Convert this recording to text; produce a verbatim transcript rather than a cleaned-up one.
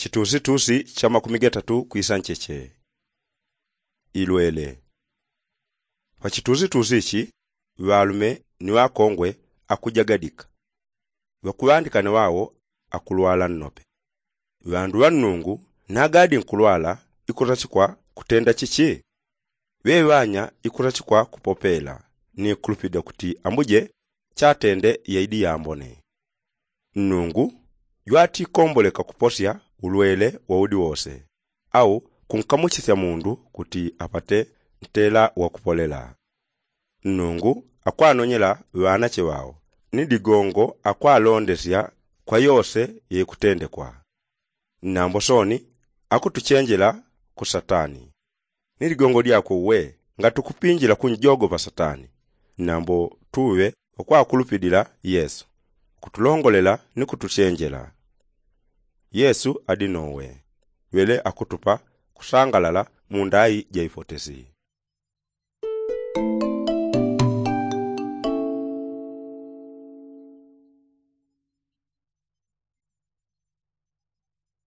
Chitusitusi cha makumi gatatu kwisa ncheche. Ilwele. Pachitusitusi ichi ŵalume ni ŵakongwe akujagadika. Ŵakuŵandikane ŵao akulwala nnope. Ŵandu ŵa nnungu nagadi nkulwala ikutachikwa kutenda chichi? Ŵeŵanya ikutachikwa kupopela ni kulupida kuti ambuje chatende yaidi yambone. Nnungu jwatikomboleka kuposya ulwele waudi wose au kunkamuchisya mundu kuti apate ntela wakupolela. Nnungu akwanonyela ŵanache ŵao ni digongo akwalondesya kwa yose yeikutendekwa. Nambo soni akutuchenjela ku satani. Ni ligongo lyakwe uwe ngatukupinjila kunjogopa satani nambo tuwe ukwakulupilila yesu kutulongolela ni kutuchenjela. Yesu adi nowe wele akutupa kusangalala mu ndai ja ifotesi.